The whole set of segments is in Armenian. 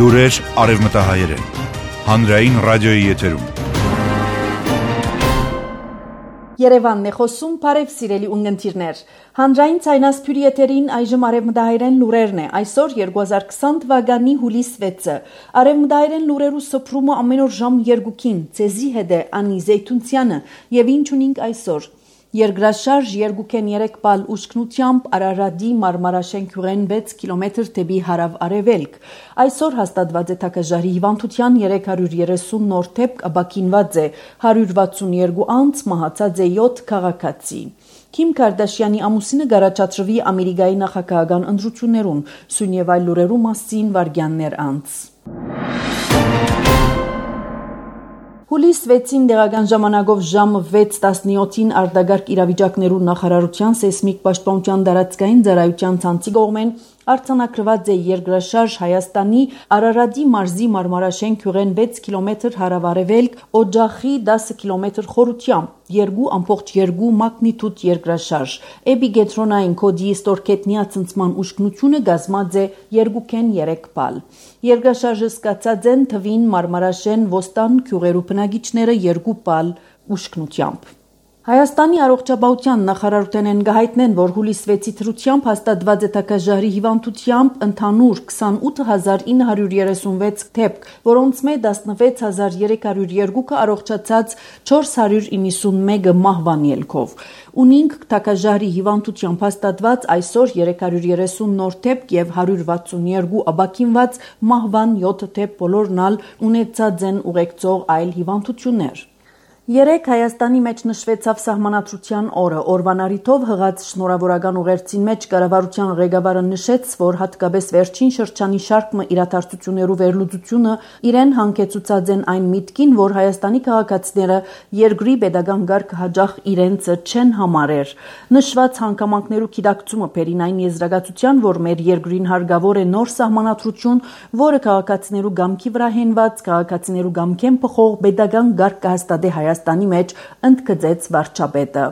Լուրեր արևմտահայերեն։ Հանրային ռադիոյի եթերում։ Երևանն է խոսում, բարև սիրելի ունգընտիրներ։ Հանրային ցայնասփյուրի եթերին այժմ արևմտահայերեն լուրերն է։ Այսօր 2020 թվականի հուլիս 6-ը։ Արևմտահայերեն լուրերու սփռումը ամեն օր ժամ 2-ին։ Ցեզի հետ է Անի Զեյթունցյանը եւ ինչ ունենք այսօր։ Երկրաշարժ երկուքեն 3 բալ ուշքնությամբ Արարատի Մարմարաշեն քյուրեն 6 կիլոմետր դեպի հարավ-արևելք։ Այսօր հաստատված է թակաժարի հիվանդության 330 նոր դեպք, ապաքինված է 162 անձ, մահացած է 7 քաղաքացի։ Քիմ Քարդաշյանի ամուսինը գարաչատրվի Ամերիկայի նախագահական ընտրություններուն, սույն եւ այլ լուրերու մասին վարգյաններ անց։ Հուլիս 6-ին դեղական ժամանակով ժամը 6:17-ին արտագարկ իրավիճակներու նախարարության սեյսմիկ պաշտպանության դարածքային ծառայության ցանցի կողմեն արձանագրված է երկրաշարժ Հայաստանի Արարատի մարզի Մարմարաշեն քյուրեն 6 կիլոմետր հարավ-արևելք, Օջախի 10 կիլոմետր խորությամբ, 2.2 մագնիտուդ երկրաշարժ։ Էպիգետրոնային կոդի ստորգետնյա ցնցման ուշքնությունը գազմած է 2.3 բալ։ Երկրաշարժը սկսած են թվին Մարմարաշեն ոստան քյուրերու բնակիչները 2 բալ ուշքնությամբ։ Հայաստանի առողջապահության նախարարության են գահիտնեն, որ հուլիս 6-ի թրությամբ հաստատված է թակաժարի հիվանդությամբ ընդհանուր 28936 դեպք, որոնց մեջ 16302-ը առողջացած 491-ը մահվան ելքով։ Ունինք թակաժարի հիվանդությամբ հաստատված այսօր 330 նոր դեպք եւ 162 ապաքինված մահվան 7 դեպք, բոլորն ալ ունեցած են ուղեկցող այլ հիվանդություններ։ Երեք Հայաստանի մեջ նշվեցավ սահմանադրության օրը։ Օրվան առիթով հղած շնորհավորական ուղերձին մեջ կառավարության ղեկավարը նշեց, որ հատկապես վերջին շրջանի շարքը իրադարձություններու վերլուծությունը իրեն հանգեցուցած են այն միտքին, որ Հայաստանի քաղաքացիները երկրի pedagogan կարգ հաջող իրենց չեն համարեր։ Նշված հանգամանքներու գիտակցումը բերին այն եզրակացության, որ մեր երկրին հարկավոր է նոր սահմանադրություն, որը քաղաքացիներու գամքի վրա հենված, քաղաքացիներու գամքեն փոխող pedagogan կարգ կհաստատի Հայաստանի մեջ ընդգծեց վարչապետը։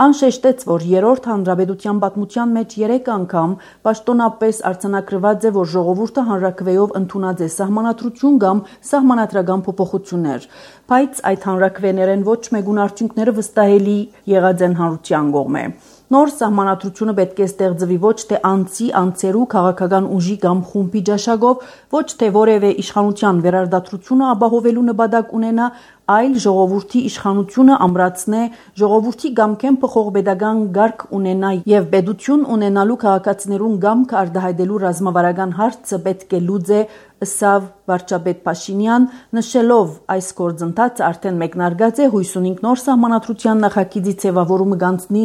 Անշեշտեց, որ երրորդ հանրապետության պատմության մեջ 3 անգամ պաշտոնապես արձանագրված է, որ ժողովուրդը հանրաքվեով ընդունած է սահմանադրություն կամ սահմանադրական փոփոխություններ, բայց այդ հանրաքվեներեն ոչ մեկուն արդյունքները վստահելի եղած են հանրության կողմէ։ Նոր սահմանադրությունը պետք է ստեղծվի ոչ թե անձերու քաղաքական ուժի կամ խումբի ճաշակով, ոչ թե որևէ իշխանության վերարտադրությունը ապահովելու նպատակ ունենա, այլ ժողովրդի իշխանությունը ամրացնե, ժողովրդի գամքեն փոխող pedagogan կարգ ունենա եւ պետություն ունենալու քաղաքացիներուն գամք արտահայտելու ռազմավարական հարցը պետք է լուծե, ըսավ վարչապետ Փաշինյան, նշելով այս գործընթացը արդեն մեկնարկած է, հույս ունենք նոր սահմանադրության նախագիծի ձևավորումը կանցնի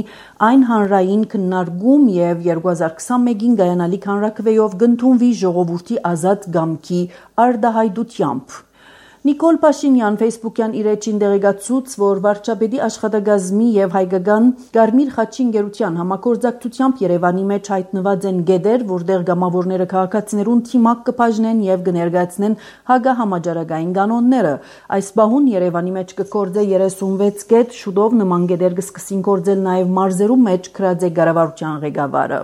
այն հանրային քննարկում եւ 2021-ին գայանալիք հանրաքվեով կընդունվի ժողովրդի ազատ գամքի արտահայտությամբ։ Նիկոլ Փաշինյան Facebook-յան իր էջին դեղեկացուց, որ վարչապետի աշխատակազմի եւ հայկական Կարմիր խաչի ընկերության համագործակցությամբ Երևանի մեջ հայտնված են գեդեր, որտեղ գամավորները քաղաքացիներուն թիմակ կբաժնեն եւ կներկայացնեն հագահամաճարակային կանոնները։ Այս բահուն Երևանի մեջ կգործե 36 գետ, շուտով նման գեդեր կսկսին գործել նաեւ մարզերու մեջ, գրած է կառավարության ղեկավարը։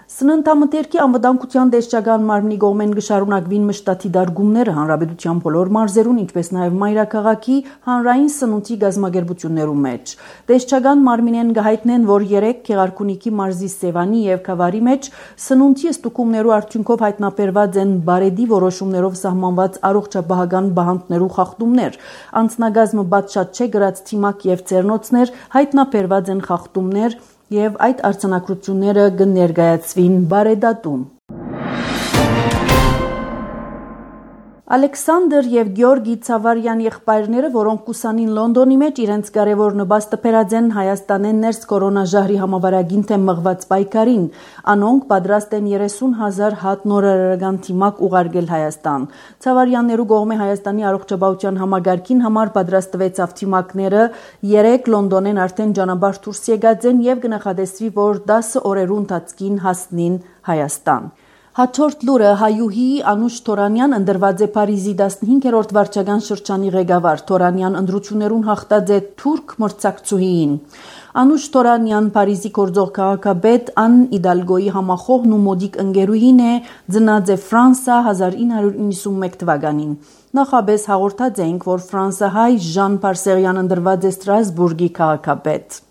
Սննդամթերքի անվտանգության տեսչական մարմնի կողմեն կշարունակվին մշտաթի դարգումները հանրապետության բոլոր մարզերուն, ինչպես նաև մայրաքաղաքի հանրային սնունդի գազམ་ագերբություններու մեջ։ Տեսչական մարմինեն կհայտնեն, որ 3 Գեղարքունիքի մարզի Սևանի եւ Քավարի մեջ սնունդի ստուգումներու արդյունքով հայտնաբերված են բարեդի որոշումներով սահմանված առողջապահական բանտներու խախտումներ։ Անձնագազմը բացշատ չէ գրած թիմակ եւ ծերնոցներ հայտնաբերված են խախտումներ եւ այդ արձանագրությունները կներկայացվին բարեդատում։ Ալեքսանդր եւ Գյորգի Ցավարյան եղբայրները, որոնք կուսանին Լոնդոնի մեջ իրենց կարևոր նպաստը բերած են Հայաստանեն ներս կորոնաժահրի համավարագին թեմ մղված պայքարին, անոնք պատրաստ են 30,000 հատ նորարարական թիմակ ուղարկել Հայաստան։ Ցավարյաններու կողմէ Հայաստանի առողջապահության համագարքին համար պատրաստվեցավ թիմակները 3 Լոնդոնեն արդեն ճանապարհ դուրս եկած են եւ կնախադեсվի, որ 10 օրերու ընթացքին հասնին Հայաստան։ Հաջորդ լուրը հայուհի Անուշ Թորանյան ընդրված է Փարիզի 15-րդ վարչական շրջանի ղեկավար։ Թորանյան ընտրություններուն հաղթած է թուրք մրցակցուհին։ Անուշ Թորանյան Փարիզի գործող քաղաքապետ Ան Իդալգոյի համախոհն ու մոդիկ ընկերուհին է, ծնած է Ֆրանսա 1991 թվականին։ Նախաբես հաղորդած էինք, որ ֆրանսահայ Ժան Պարսեղյան ընդրված է Ստրասբուրգի քաղաքապետ։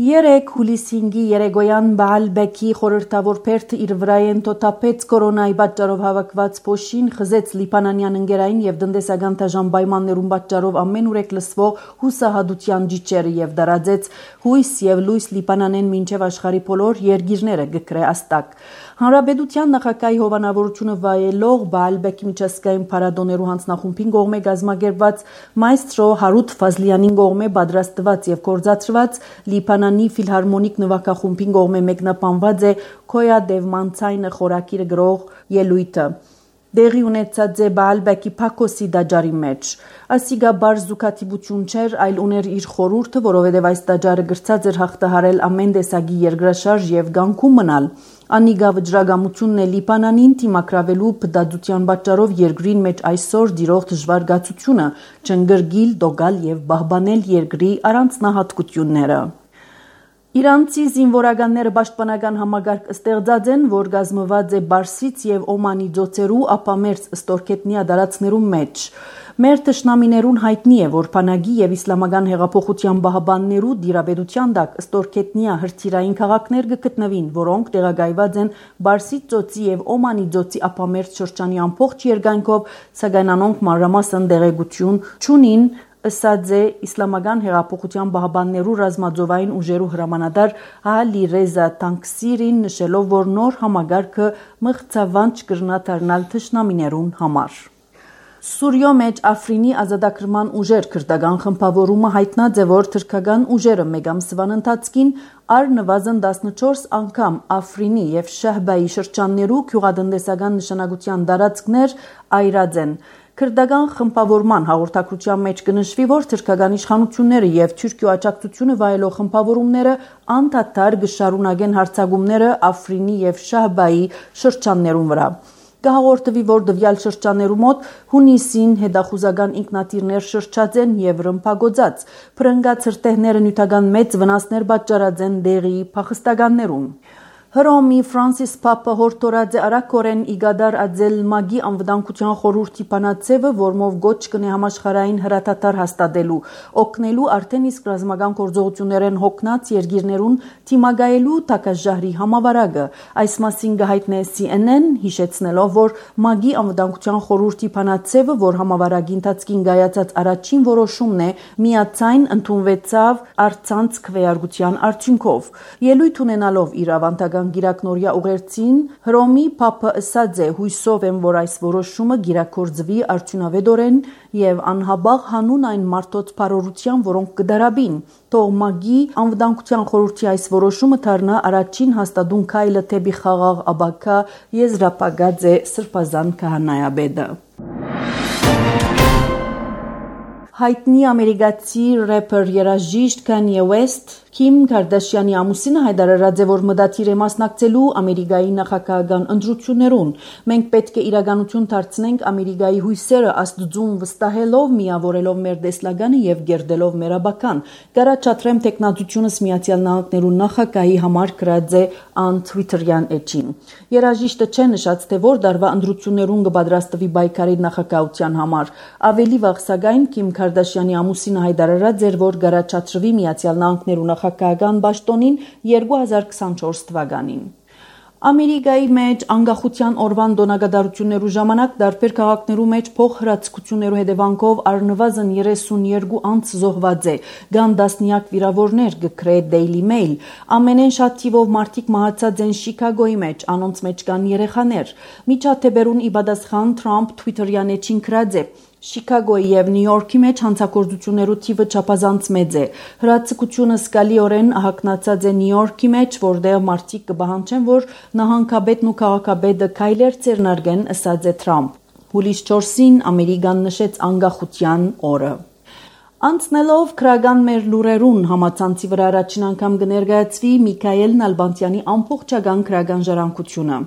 3 հուլիսի 5-ի երեկոյան Բաալբեկի խորհրդավոր փերթը իր վրայեն թոթափեց կորոնայի պատճառով հավաքված փոշին, խզեց լիբանանյան ընկերային եւ տնտեսական դաժան պայմաններուն պատճառով ամենուրեք լսվող հուսահատության ջիջերը եւ դարաձեց հույս եւ լույս Լիբանանեն մինչեւ աշխարհի բոլոր երկիրները գկրե աստակ։ Հանրապետության նախագահի հովանավորությունը վայելող Բաալբեկի միջազգային փառատոներու հանձնախումբին կողմէ գազմագերված մայստրո Հարութ Ֆազլյանին կողմէ պատրաստված եւ կորզացված Լիբանանի ֆիլհարմոնիկ նվագախումբին կողմէ մեկնաբանված է Քոյա Դևմանցայնը խորակիրը գրող ելույթը։ Դեղի ունեցած է Բաալբեկի Փակոսի դաջարի մեջ։ Ասիգա բար զուգատիպություն չէր, այլ ուներ իր խորհուրդը, որովհետև այս դաջարը գրծած էր հաղթահարել ամեն տեսակի երկրաշարժ եւ գանքում մնալ։ Անիգա վճռագամությունն է Լիբանանին դիմակրավելու բդածության պատճառով երկրին մեջ այսօր դիրող դժվար գացությունը, չընկրկիլ, դոգալ եւ պահպանել երկրի առանձնահատկությունները։ Իրանցի զինվորականները պաշտպանական համագարկ ստեղծած են, որ գազմված է Բարսից եւ Օմանի ծոցերու ապամերձ ստորքետնյա դարածներու մեջ։ Մեր թշնամիներուն հայտնի է, որ Փանագի եւ Իսլամական հեղափոխության բահբաններու դիրապետության տակ ստորքետնյա հրթիռային քաղաքներ կգտնվին, որոնք տեղակայված են Բարսից ծոցի եւ Օմանի ծոցի ապամերձ շրջանի ամբողջ երկայնքով, սակայն անոնք մանրամասն տեղեկություն չունին, ըսած է Իսլամական հեղափոխության բահբաններու ռազմաձովային ուժերու հրամանատար Ալի Ռեզա Տանկսիրին, նշելով, որ նոր համագարքը մղձավանջ կրնա դառնալ թշնամիներուն համար։ Սուրիո մեջ Աֆրինի ազատագրման ուժեր քրդական խմբավորումը հայտնած է, որ թրքական ուժերը մեկ ամսվան ընթացքին առնվազն 14 անգամ Աֆրինի եւ Շահբայի շրջաններու գյուղատնտեսական նշանակության տարածքներ այրած են։ Քրդական խմբավորման հաղորդակցության մեջ կնշվի, որ թուրքական իշխանությունները եւ Թուրքիո աջակցությունը վայելող խմբավորումները անդադար կշարունակեն հարձակումները Աֆրինի եւ Շահբայի շրջաններուն վրա։ Կհաղորդվի, որ դվյալ շրջաններու մոտ հունիսին հետախուզական ինքնաթիռներ շրջած են եւ ռմբագոծած, փրկած հրթիռները նյութական մեծ վնասներ պատճառած են դեղի փախստականներուն։ Հռոմի Ֆրանսիս Պապը հորդորած է արագորեն իգադար ածել մագի անվտանգության խորհրդի բանաձևը, որմով գոչ կնե համաշխարհային հրատատար հաստատելու, օգնելու արդեն իսկ ռազմական գործողություններեն հոգնած երկիրներուն թիմագայելու տակաժահրի համավարակը։ Այս մասին կհայտնե CNN, հիշեցնելով, որ մագի անվտանգության խորհրդի բանաձևը, որ համավարակի ընթացքին կայացած առաջին որոշումն է, միացայն ընդունվեցավ առցանց քվեարկության արդյունքով։ Ելույթ ունենալով իր ավանդական գիրակնորյա ուղերձին Հռոմի Պապը ըսած է. հույսով եմ, որ այս որոշումը գիրակորձվի արդյունավետորեն եւ անհաբաղ հանուն այն մարդոց բարօրության, որոնք կդարաբին։ Թող մագի անվտանգության խորհրդի այս որոշումը դառնա առաջին հաստատուն քայլը դեպի խաղաղ ապագա, եզրափակած է Սրբազան քահանայապետը։ Հայտնի ամերիկացի рэփեր երաժիշտ Քանյե Ուեսթ Քիմ Քարդաշյանի ամուսինը հայտարարած է, որ մտադիր է մասնակցելու Ամերիկայի նախագահական ընտրություններուն։ Մենք պետք է իրականություն դարձնենք Ամերիկայի հույսերը Աստծուն վստահելով, միավորելով մեր տեսլականը եւ գերդելով մեր աբական։ Կառաջադրեմ տեխնատությունս Միացյալ Նահանգներու նախագահի համար գրած է ան Twitter-յան էջին։ Երաժիշտը չէ նշած, թե որ դարվա ընտրություններուն կպատրաստվի պայքարի նախագահության համար։ Ավելի վաղ սակայն Քիմ Քարդաշյանի ամուսինը հայտարարած էր, որ կառաջադրվի Միացյալ Նահանգներու նախագահական պաշտոնին 2024 թվականին։ Ամերիկայի մեջ անկախության օրվան տոնակատարություններու ժամանակ տարբեր քաղաքներու մեջ փոխհրաձգություններու հետևանքով առնվազն 32 անձ զոհված է, կան տասնյակ վիրավորներ, գկրե Daily Mail։ Ամենեն շատ թիվով մարդիկ մահացած են Շիկագոյի մեջ, անոնց մեջ կան երեխաներ։ Միջադեպերուն ի պատասխան Թրամփ Twitter-յան էջին գրած է. Շիկագոյի եւ Նյու Յորքի մեջ հանցագործություններու թիվը չափազանց մեծ է։ Հրաձգությունը սկալիորեն ահագնացած է Նյու Յորքի մեջ, որտեղ մարդիկ կպահանջեն, որ նահանգապետն ու քաղաքապետը քայլեր ձեռնարկեն, ըսած է Թրամփ։ Հուլիս 4-ին Ամերիկան նշեց անկախության օրը։ Անցնելով քրական մեր լուրերուն համացանցի վրա առաջին անգամ կներկայացվի Միքայել Նալբանդյանի ամբողջական քրական ժառանգությունը։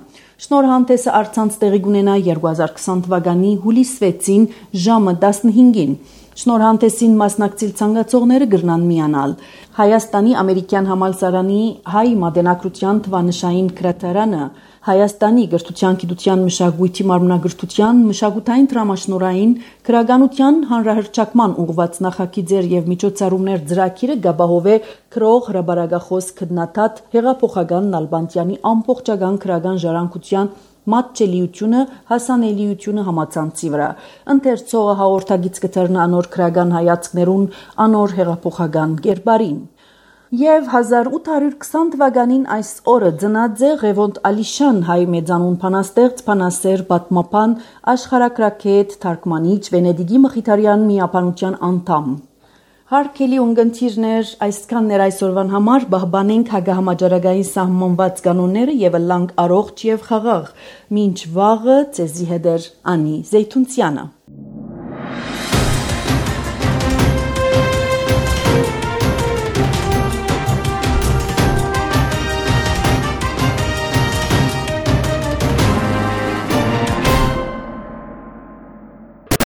Շնորհանդեսը առցանց տեղի կունենա 2020 թվականի հուլիս 6-ին ժամը 15-ին։ Շնորհանդեսին մասնակցել ցանկացողները կգրնան միանալ։ Հայաստանի ամերիկյան համալսարանի հայ մատենագրության թվանշային գրադարանը, Հայաստանի գրթության, գիտության, մշակույթի մարմնագրթության, մշակութային դրամաշնորհային, քրականության հանրահռչակման ուղղված նախագիծեր եւ միջոցառումներ ծրագիրը գաբահովե քրող հրաբարագախոս քննադատ հեղափոխական Նալբանդյանի ամբողջական քրական ժառանգության մատչելիությունը, հասանելիությունը համացանցի վրա։ Ընթերցողը հաղորդագիծ կտրնա անոր քրական հայացքներուն, անոր հեղափոխական կերպարին։ Եվ 1820 թվականին այս օրը ծնած է Ղևոնդ Ալիշան հայ մեծանուն փանաստեղծ, փանասեր, պատմապան, աշխարհագրագետ, թարգմանիչ, Վենեդիգի Մխիթարյան միապանության անդամ։ Հարգելի ունգընտիրներ, այսքանն էր այսօրվան համար, բահբանենք հագահամաճարակային սահմանված կանոնները եւ ըլլանք առողջ եւ խաղաղ։ Մինչ վաղը ձեզի հետ էր Անի Զեյթունցյանը։